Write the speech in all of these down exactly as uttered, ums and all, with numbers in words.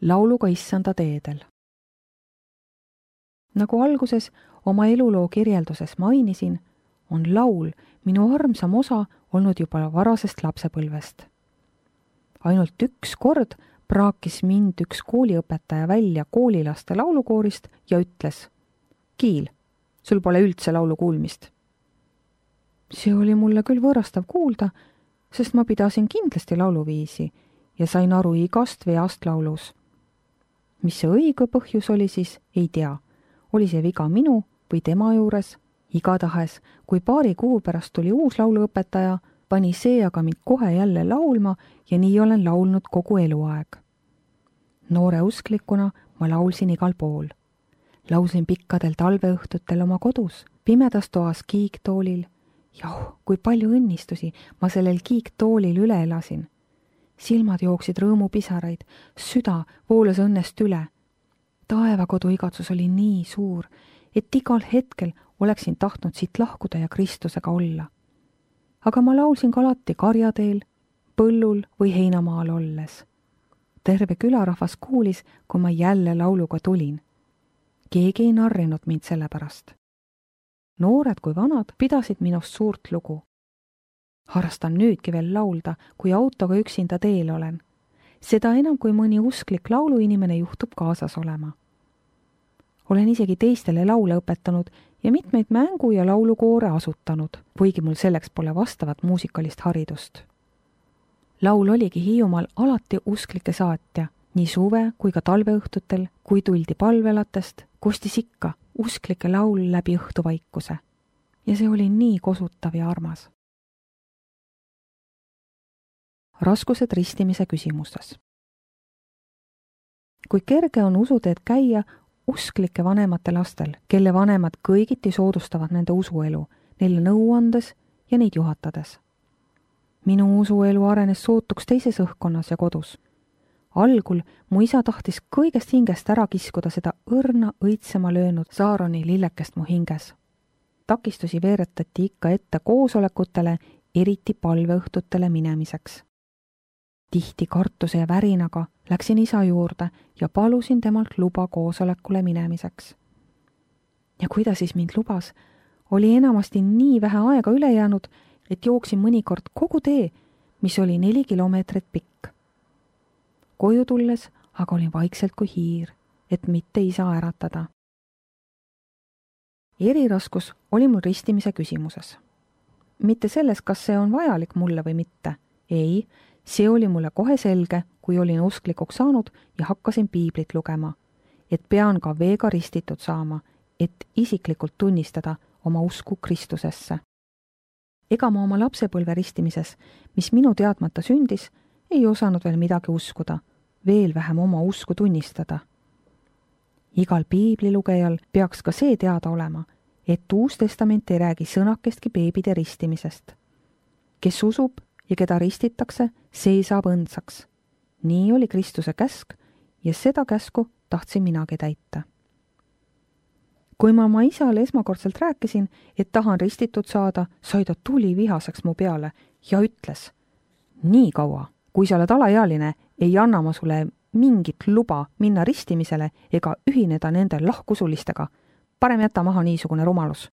lauluga issanda teedel. Nagu alguses oma eluloo kirjelduses mainisin, on laul minu armsam osa olnud juba varasest lapsepõlvest. Ainult üks kord praakis mind üks kooliõpetaja välja koolilaste laulukoorist ja ütles: Kiil, sul pole üldse laulu kuulmist. See oli mulle küll võõrastav kuulda, sest ma pidasin kindlasti lauluviisi ja sain aru igast veast laulus. Mis see õige põhjus oli siis, ei tea. Oli see viga minu või tema juures? Igatahes, kui paari kuu pärast tuli uus lauluõpetaja, pani see aga mind kohe jälle laulma ja nii olen laulnud kogu eluaeg. Noore usklikuna ma laulsin igal pool. Laulsin pikkadel talveõhtutel oma kodus, pimedas toas kiiktoolil. Jah, kui palju õnnistusi ma sellel kiiktoolil üle elasin. Silmad jooksid rõõmupisaraid, süda voolas õnnest üle. Taevakodu igatsus oli nii suur, et igal hetkel oleksin tahtnud siit lahkuda ja Kristusega olla. Aga ma laulsin ka alati karjateel, põllul või heinamaal olles. Terve külarahvas kuulis, kui ma jälle lauluga tulin. Keegi ei narrinud mind selle pärast. Noored kui vanad pidasid minust suurt lugu. Harrastan nüüdki veel laulda, kui autoga üksinda teel olen. Seda enam, kui mõni usklik lauluinimene juhtub kaasas olema. Olen isegi teistele laule õpetanud ja mitmeid mängu- ja laulukoore asutanud, kuigi mul selleks pole vastavat muusikalist haridust. Laul oligi Hiiumaal alati usklike saatja, nii suve kui ka talveõhtutel, kui tuldi palvelatest, kostis ikka usklike laul läbi õhtuvaikuse. Ja see oli nii kosutav ja armas. Raskused ristimise küsimustes. Kui kerge on usuteed käia usklike vanemate lastel, kelle vanemad kõigiti soodustavad nende usuelu, neile nõu andes ja neid juhatades. Minu usuelu arenes sootuks teises õhkkonnas ja kodus. Algul mu isa tahtis kõigest hingest ära kiskuda seda õrna õitsema löönud Saaroni lillekest mu hinges. Takistusi veeretati ikka ette koosolekutele, eriti palveõhtutele minemiseks. Tihti kartuse ja värinaga läksin isa juurde ja palusin temalt luba koosolekule minemiseks. Ja kui ta siis mind lubas, oli enamasti nii vähe aega üle jäänud, et jooksin mõnikord kogu tee, mis oli neli kilomeetrit pikk. Koju tulles aga olin vaikselt kui hiir, et mitte isa äratada. Eriraskus oli mul ristimise küsimuses. Mitte selles, kas see on vajalik mulle või mitte. Ei, see oli mulle kohe selge, kui olin usklikuks saanud ja hakkasin piiblit lugema, et pean ka veega ristitud saama, et isiklikult tunnistada oma usku Kristusesse. Ega ma oma lapsepõlve ristimises, mis minu teadmata sündis, ei osanud veel midagi uskuda, veel vähem oma usku tunnistada. Igal piiblilugejal peaks ka see teada olema, et Uus Testament ei räägi sõnakestki beebide ristimisest. Kes usub ja keda ristitakse, see saab õndsaks. Nii oli Kristuse käsk ja seda käsku tahtsin minagi täita. Kui ma oma isale esmakordselt rääkisin, et tahan ristitud saada, sai ta tuli vihaseks mu peale ja ütles: nii kaua, kui sa oled alaealine, ei anna ma sulle mingit luba minna ristimisele ega ühineda nende lahkusulistega. Parem jäta maha niisugune rumalus.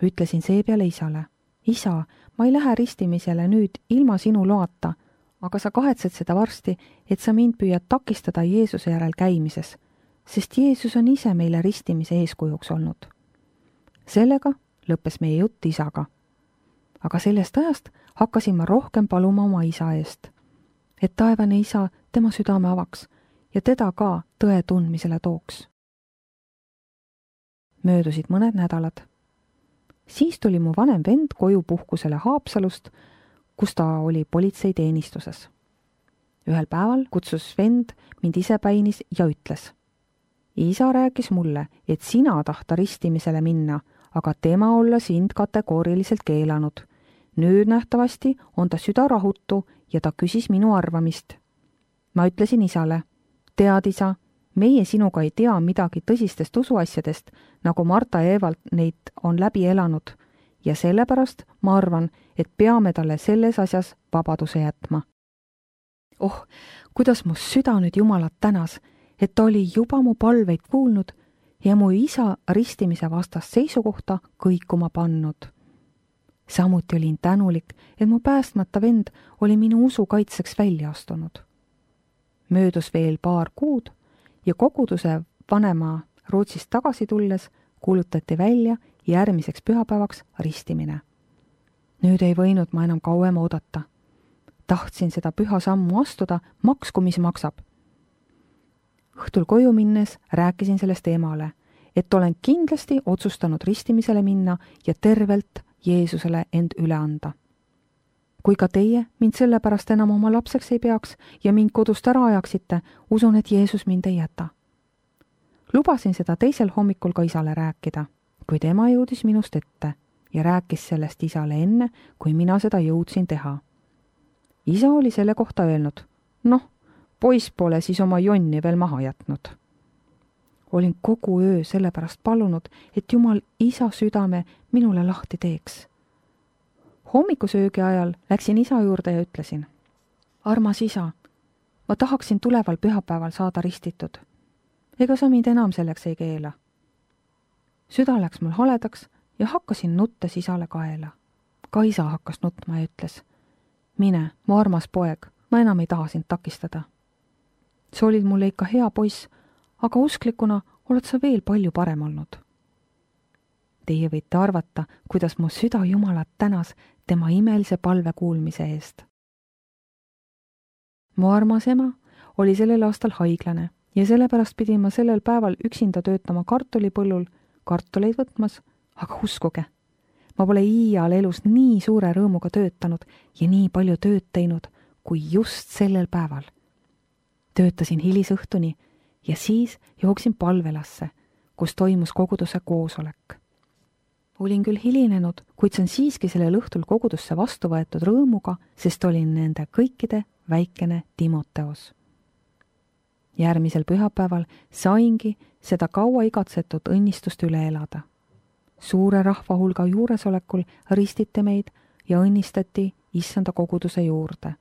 Ütlesin seepeale isale: isa, ma ei lähe ristimisele nüüd ilma sinu loata, aga sa kahetsed seda varsti, et sa mind püüad takistada Jeesuse järel käimises, sest Jeesus on ise meile ristimise eeskujuks olnud. Sellega lõppes meie jutt isaga. Aga sellest ajast hakkasin ma rohkem paluma oma isa eest, et taevane isa tema südame avaks ja teda ka tõe tundmisele tooks. Möödusid mõned nädalad. Siis tuli mu vanem vend koju puhkusele Haapsalust, kus ta oli politseiteenistuses. Ühel päeval kutsus vend mind isepäinis ja ütles: isa rääkis mulle, et sina tahta ristimisele minna, aga tema olla sind kategooriliselt keelanud. Nüüd nähtavasti on ta süda rahutu ja ta küsis minu arvamist. Ma ütlesin isale: tead isa, meie sinuga ei tea midagi tõsistest usuasjadest, nagu Marta ja Evalt neid on läbi elanud, ja sellepärast ma arvan, et peame talle selles asjas vabaduse jätma. Oh, kuidas mu süda nüüd Jumalat tänas, et ta oli juba mu palveid kuulnud ja mu isa ristimise vastast seisukohta kõikuma pannud. Samuti olin tänulik, et mu päästmata vend oli minu usu kaitseks välja astunud. Möödus veel paar kuud ja koguduse vanema Rootsist tagasi tulles kuulutati välja järgmiseks pühapäevaks ristimine. Nüüd ei võinud ma enam kauem oodata. Tahtsin seda püha sammu astuda, maksku mis maksab. Õhtul koju minnes rääkisin sellest emale, et olen kindlasti otsustanud ristimisele minna ja tervelt Jeesusele end üle anda. Kui ka teie mind sellepärast enam oma lapseks ei peaks ja mind kodust ära ajaksite, usun, et Jeesus mind ei jäta. Lubasin seda teisel hommikul ka isale rääkida, kui tema jõudis minust ette ja rääkis sellest isale enne, kui mina seda jõudsin teha. Isa oli selle kohta öelnud, noh, poiss pole siis oma jonni veel maha jätnud. Olin kogu öö sellepärast palunud, et Jumal isa südame minule lahti teeks. Hommikusöögi ajal läksin isa juurde ja ütlesin, armas isa, ma tahaksin tuleval pühapäeval saada ristitud. Ega sa mind enam selleks ei keela. Süda läks mul haledaks ja hakkasin nuttes isale kaela. Ka isa hakkas nutma ja ütles, mine, mu armas poeg, ma enam ei taha sind takistada. Sa olid mulle ikka hea poiss, aga usklikuna oled sa veel palju parem olnud. Teie võite arvata, kuidas mu süda Jumalat tänas tema imelise palve kuulmise eest. Mu armas ema oli sellel aastal haiglane ja sellepärast pidin ma sellel päeval üksinda töötama kartulipõllul, kartuleid võtmas, aga uskuge, ma pole iial elus nii suure rõõmuga töötanud ja nii palju tööd teinud, kui just sellel päeval. Töötasin hilisõhtuni ja siis jooksin palvelasse, kus toimus koguduse koosolek. Olin küll hilinenud, kuid see on siiski sellel õhtul kogudusse vastu võetud rõõmuga, sest olin nende kõikide väikene Timoteos. Järgmisel pühapäeval saingi seda kaua igatsetud õnnistust üle elada. Suure rahva hulga juuresolekul ristiti meid ja õnnistati issanda koguduse juurde.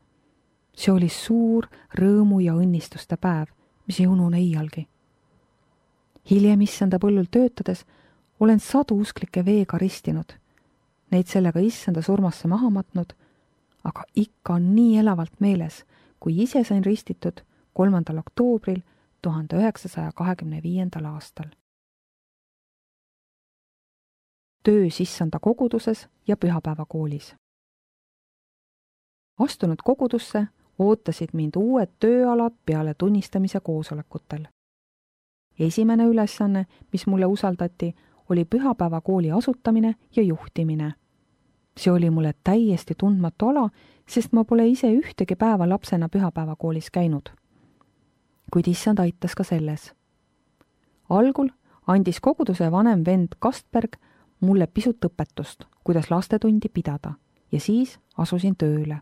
See oli suur rõõmu ja õnnistuste päev, mis ei unune iialgi. Hiljem issanda põllul töötades olen sadu usklikke veega ristinud, neid sellega issanda surmasse maha matnud, aga ikka on nii elavalt meeles, kui ise sain ristitud kolmandal oktoobril tuhande üheksasaja kahekümne viiendal aastal. Töös issanda koguduses ja pühapäevakoolis. Astunud kogudusse ootasid mind uued tööalad peale tunnistamise koosolekutel. Esimene ülesanne, mis mulle usaldati, oli pühapäevakooli asutamine ja juhtimine. See oli mulle täiesti tundmatu ala, sest ma pole ise ühtegi päeva lapsena pühapäevakoolis käinud. Kuid issand aitas ka selles. Algul andis koguduse vanem vend Kastberg mulle pisut õpetust, kuidas lastetundi pidada ja siis asusin tööle.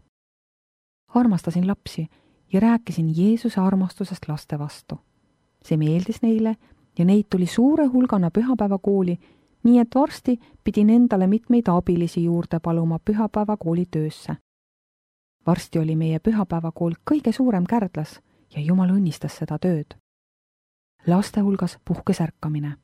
Armastasin lapsi ja rääkisin Jeesuse armastusest laste vastu. See meeldis neile ja neid tuli suure hulgana pühapäevakooli, nii et varsti pidin endale mitmeid abilisi juurde paluma pühapäevakooli töösse. Varsti oli meie pühapäevakool kõige suurem Kärdlas ja Jumal õnnistas seda tööd. Laste hulgas puhkes ärkamine.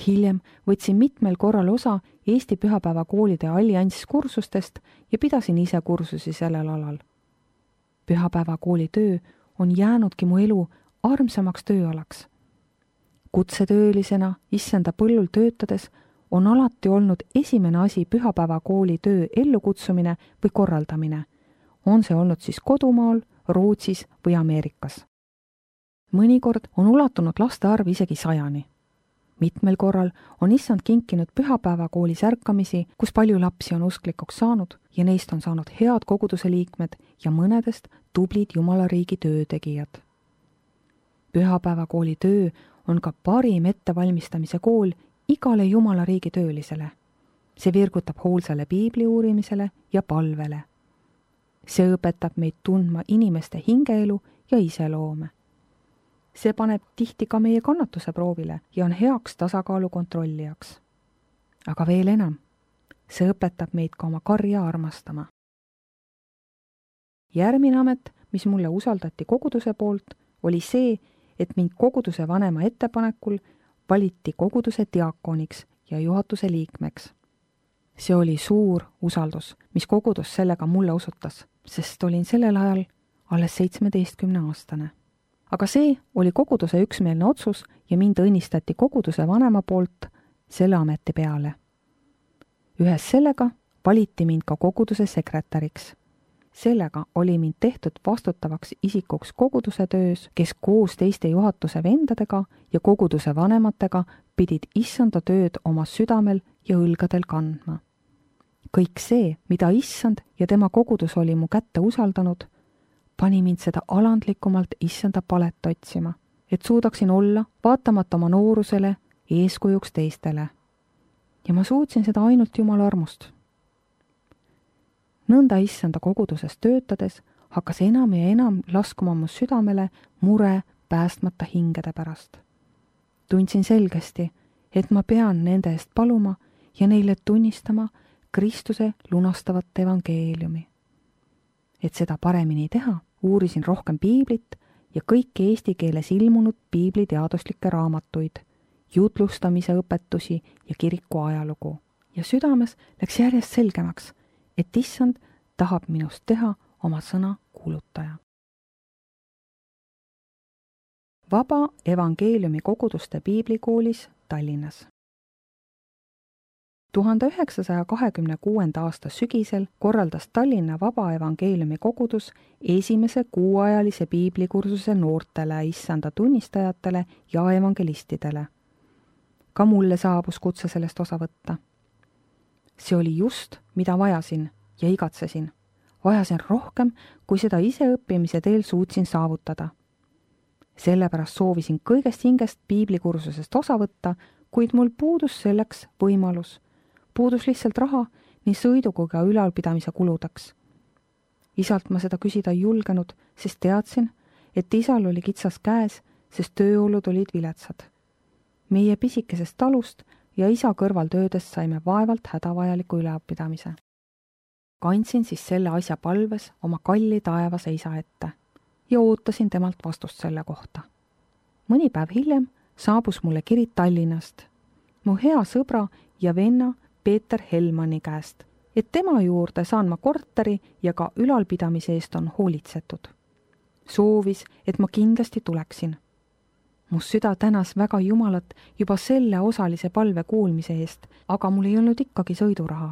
Hiljem võtsin mitmel korral osa Eesti pühapäevakoolide allianss kursustest ja pidasin ise kursusi sellel alal. Pühapäevakooli töö on jäänudki mu elu armsamaks tööalaks. Kutsetöölisena issanda põllul töötades on alati olnud esimene asi pühapäevakooli töö ellukutsumine või korraldamine. On see olnud siis kodumaal, Rootsis või Ameerikas. Mõnikord on ulatunud laste arv isegi sajani. Mitmel korral on issand kinkinud pühapäevakoolis ärkamisi, kus palju lapsi on usklikuks saanud ja neist on saanud head koguduse liikmed ja mõnedest tublid Jumala riigi töötegijad. Pühapäevakooli töö on ka parim ettevalmistamise kool igale Jumala riigi töölisele. See virgutab hoolsale piibli uurimisele ja palvele. See õpetab meid tundma inimeste hingeelu ja iseloome. See paneb tihti ka meie kannatuse proovile ja on heaks tasakaalu kontrollijaks. Aga veel enam, see õpetab meid ka oma karja armastama. Järgmine amet, mis mulle usaldati koguduse poolt, oli see, et mind koguduse vanema ettepanekul valiti koguduse diakoniks ja juhatuse liikmeks. See oli suur usaldus, mis kogudus sellega mulle osutas, sest olin sellel ajal alles seitsmeteistkümne aastane. Aga see oli koguduse üksmeelne otsus ja mind õnnistati koguduse vanema poolt selle ameti peale. Ühes sellega valiti mind ka koguduse sekretäriks. Sellega oli mind tehtud vastutavaks isikuks koguduse töös, kes koos teiste juhatuse vendadega ja koguduse vanematega pidid issanda tööd oma südamel ja õlgadel kandma. Kõik see, mida issand ja tema kogudus oli mu kätte usaldanud, pani mind seda alandlikumalt issanda palet otsima, et suudaksin olla, vaatamata oma noorusele, eeskujuks teistele. Ja ma suutsin seda ainult Jumala armust. Nõnda issanda koguduses töötades hakkas enam ja enam laskuma mu südamele mure päästmata hingede pärast. Tundsin selgesti, et ma pean nende eest paluma ja neile tunnistama Kristuse lunastavat evangeeliumi. Et seda paremini teha, uurisin rohkem piiblit ja kõiki eesti keeles ilmunud piibliteaduslikke raamatuid, jutlustamise õpetusi ja kiriku ajalugu. Ja südames läks järjest selgemaks, et issand tahab minust teha oma sõna kuulutaja. Vaba evangeeliumi koguduste piiblikoolis Tallinnas. tuhande üheksasaja kahekümne kuuenda aasta sügisel korraldas Tallinna Vaba evangeeliumi kogudus esimese kuuajalise piiblikursuse noortele issanda tunnistajatele ja evangelistidele. Ka mulle saabus kutse sellest osa võtta. See oli just, mida vajasin ja igatsesin. Vajasin rohkem, kui seda ise õppimise teel suutsin saavutada. Sellepärast soovisin kõigest hingest piiblikursusest osa võtta, kuid mul puudus selleks võimalus. Puudus lihtsalt raha nii sõidu kui ka ülalpidamise kuludeks. Isalt ma seda küsida ei julgenud, sest teadsin, et isal oli kitsas käes, sest tööolud olid viletsad. Meie pisikesest talust ja isa kõrvaltöödest saime vaevalt hädavajaliku ülalpidamise. Kandsin siis selle asja palves oma kalli taevase isa ette ja ootasin temalt vastust selle kohta. Mõni päev hiljem saabus mulle kiri Tallinnast, mu hea sõbra ja venna Peeter Helmani käest, et tema juurde saan ma korteri ja ka ülalpidamise eest on hoolitsetud. Soovis, et ma kindlasti tuleksin. Mu süda tänas väga Jumalat juba selle osalise palve kuulmise eest, aga mul ei olnud ikkagi sõiduraha.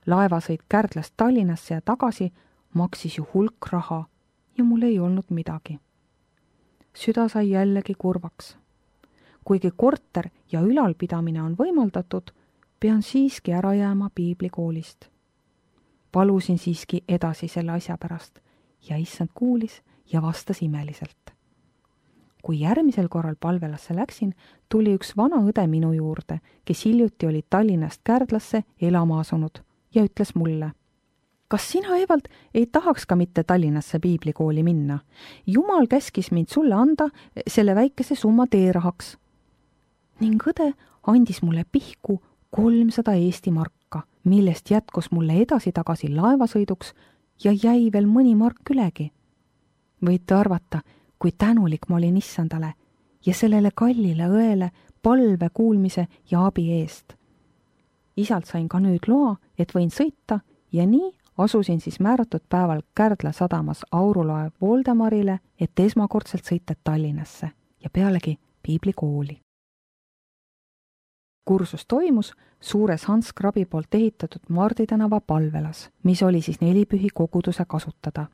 Laevasõit Kärdlast Tallinnasse ja tagasi maksis ju hulk raha ja mul ei olnud midagi. Süda sai jällegi kurvaks. Kuigi korter ja ülalpidamine on võimaldatud, pean siiski ära jääma piiblikoolist. Palusin siiski edasi selle asja pärast ja issand kuulis ja vastas imeliselt. Kui järgmisel korral palvelasse läksin, tuli üks vana õde minu juurde, kes hiljuti oli Tallinnast Kärdlasse elama asunud ja ütles mulle: kas sina, Evald, ei tahaks ka mitte Tallinnasse piiblikooli minna? Jumal käskis mind sulle anda selle väikese summa teerahaks. Ning õde andis mulle pihku kolmsada Eesti marka, millest jätkus mulle edasi-tagasi laevasõiduks ja jäi veel mõni mark ülegi. Võite arvata, kui tänulik ma olin issandale ja sellele kallile õele palve kuulmise ja abi eest. Isalt sain ka nüüd loa, et võin sõita ja nii asusin siis määratud päeval Kärdla sadamas aurulaev Voldemarile, et esmakordselt sõita Tallinnasse ja pealegi piiblikooli. Kursus toimus suures Hans Krabi poolt ehitatud Mardi tänava palvelas, mis oli siis nelipühi koguduse kasutada.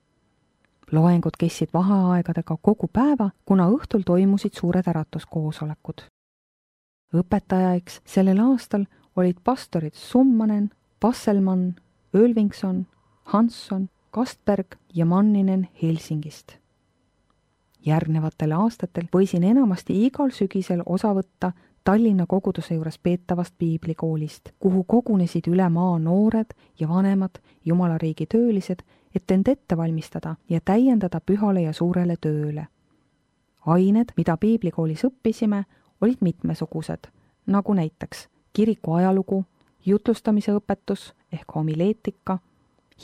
Loengud kestsid vaheaegadega kogu päeva, kuna õhtul toimusid suured äratuskoosolekud. Õpetajaiks sellel aastal olid pastorid Summanen, Passelmann, Ölvingson, Hansson, Kastberg ja Manninen Helsingist. Järgnevatel aastatel võisin enamasti igal sügisel osa võtta Tallinna koguduse juures peetavast piiblikoolist, kuhu kogunesid üle maa noored ja vanemad Jumalariigi töölised, et end ette valmistada ja täiendada pühale ja suurele tööle. Ained, mida piiblikoolis õppisime, olid mitmesugused, nagu näiteks kiriku ajalugu, jutlustamise õpetus ehk homileetika,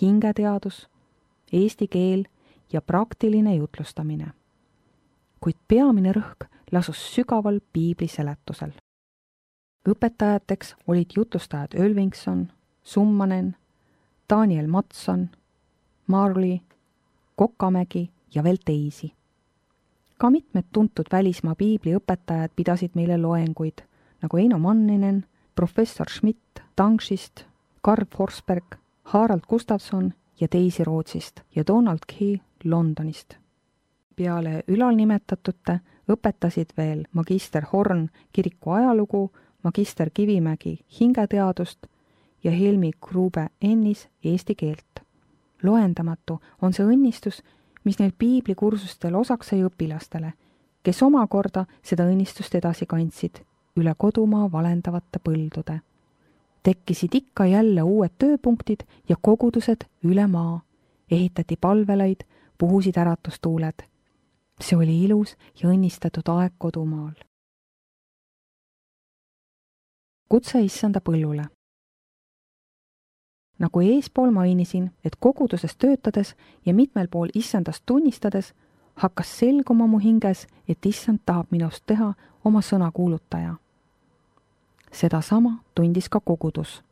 hingeteadus, eesti keel ja praktiline jutlustamine. Kuid peamine rõhk lasus sügaval piibli seletusel. Õpetajateks olid jutlustajad Ölvingson, Summanen, Daniel Matson, Marley, Kokamägi ja veel teisi. Ka mitmed tuntud välismaa piibliõpetajad pidasid meile loenguid, nagu Eino Manninen, professor Schmidt Tangshist, Karl Forsberg, Harald Gustafsson ja teisi Rootsist ja Donald Key Londonist. Peale ülalnimetatute õpetasid veel magister Horn kiriku ajalugu, magister Kivimägi hingeteadust ja Helmi Grube Ennis eesti keelt. Loendamatu on see õnnistus, mis neil piiblikursustel osaks sai õpilastele, kes omakorda seda õnnistust edasi kandsid üle kodumaa valendavate põldude. Tekkisid ikka jälle uued tööpunktid ja kogudused üle maa. Ehitati palvelaid, puhusid äratustuuled. See oli ilus ja õnnistatud aeg kodumaal. Kutse issanda põllule. Nagu eespool mainisin, et koguduses töötades ja mitmel pool issandast tunnistades, hakkas selguma mu hinges, et issand tahab minust teha oma sõna kuulutaja. Seda sama tundis ka kogudus.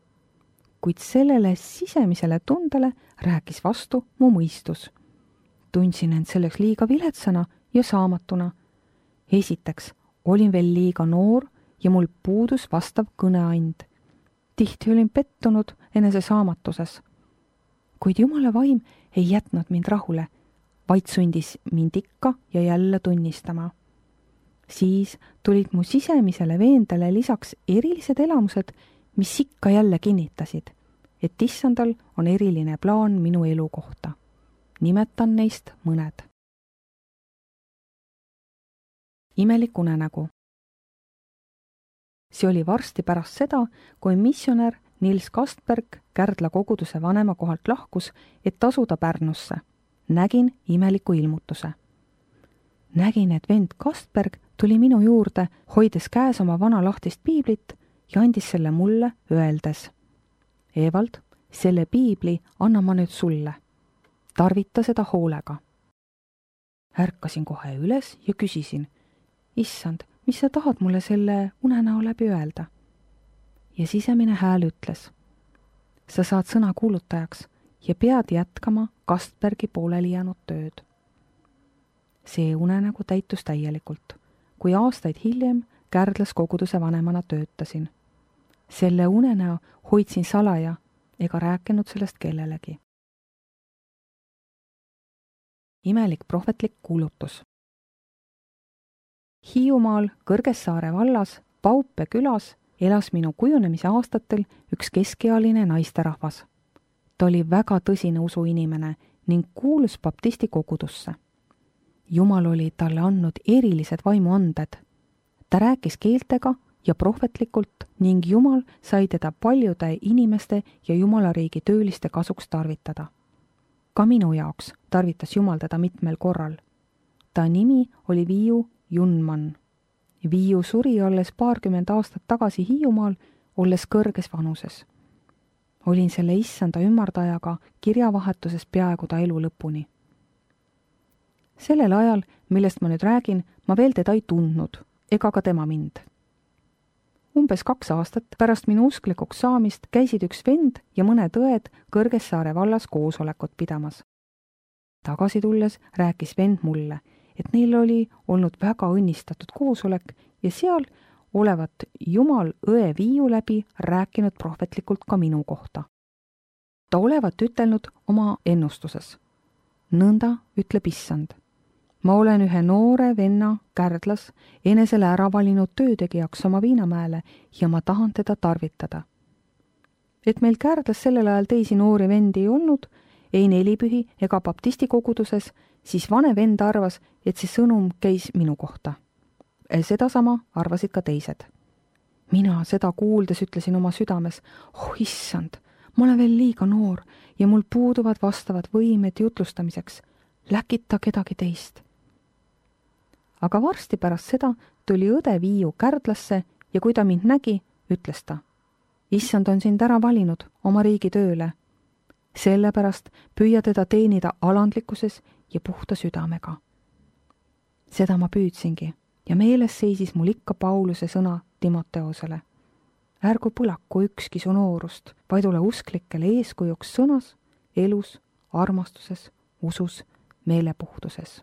Kuid sellele sisemisele tundele rääkis vastu mu mõistus. Tundsin end selleks liiga viletsana ja saamatuna. Esiteks olin veel liiga noor ja mul puudus vastav kõneand. Tihti olin pettunud enese saamatuses. Kuid Jumala vaim ei jätnud mind rahule, vaid sundis mind ikka ja jälle tunnistama. Siis tulid mu sisemisele veendele lisaks erilised elamused, mis ikka jälle kinnitasid, et issandal on eriline plaan minu elu kohta. Nimetan neist mõned. Imelik unenägu. See oli varsti pärast seda, kui missionär Nils Kastberg Kärdla koguduse vanema kohalt lahkus, et tasuda Pärnusse. Nägin imeliku ilmutuse. Nägin, et vend Kastberg tuli minu juurde, hoides käes oma vana lahtist piiblit ja andis selle mulle, öeldes: Evald, selle piibli annan ma nüüd sulle. Tarvita seda hoolega. Ärkasin kohe üles ja küsisin: Issand, mis sa tahad mulle selle unenäo läbi öelda? Ja sisemine hääl ütles: sa saad sõna kuulutajaks ja pead jätkama Kastbergi pooleli jäänud tööd. See unenägu täitus täielikult, kui aastaid hiljem Kärdlas koguduse vanemana töötasin. Selle unenäo hoidsin salaja ega rääkinud sellest kellelegi. Imelik prohvetlik kuulutus. Hiiumaal Kõrgessaare vallas Paupe külas elas minu kujunemise aastatel üks keskealine naisterahvas. Ta oli väga tõsine usuinimene ning kuulus baptisti kogudusse. Jumal oli talle andnud erilised vaimuanded. Ta rääkis keeltega ja prohvetlikult ning Jumal sai teda paljude inimeste ja Jumalariigi tööliste kasuks tarvitada. Ka minu jaoks tarvitas Jumal teda mitmel korral. Ta nimi oli Viiu Junman. Viiu suri olles paarkümmend aastat tagasi Hiiumaal, olles kõrges vanuses. Olin selle issanda ümardajaga kirjavahetuses peaaegu ta elu lõpuni. Sellel ajal, millest ma nüüd räägin, ma veel teda ei tundnud, ega ka tema mind. Umbes kaks aastat pärast minu usklikuks saamist käisid üks vend ja mõned õed Kõrgessaare vallas koosolekut pidamas. Tagasi tulles rääkis vend mulle, et neil oli olnud väga õnnistatud koosolek ja seal olevat Jumal õe Viiu läbi rääkinud prohvetlikult ka minu kohta. Ta olevat ütelnud oma ennustuses: nõnda ütleb issand. Ma olen ühe noore venna Kärdlas enesele ära valinud töötegijaks oma Viinamäele ja ma tahan teda tarvitada. Et meil Kärdlas sellel ajal teisi noori vendi ei olnud, ei nelipühi ega baptisti koguduses, siis vanem vend arvas, et see sõnum käis minu kohta. Sedasama arvasid ka teised. Mina seda kuuldes ütlesin oma südames: oh issand, ma olen veel liiga noor ja mul puuduvad vastavad võimed jutlustamiseks. Läkita kedagi teist. Aga varsti pärast seda tuli õde Viiu Kärdlasse ja kui ta mind nägi, ütles ta: issand on sind ära valinud oma riigi tööle. sellepärast püüa teda teenida alandlikkuses ja puhta südamega. Seda ma püüdsingi ja meeles seisis mul ikka Pauluse sõna Timoteosele. Ärgu põlaku ükski su noorust, vaid ole usklikele eeskujuks sõnas, elus, armastuses, usus, meelepuhtuses.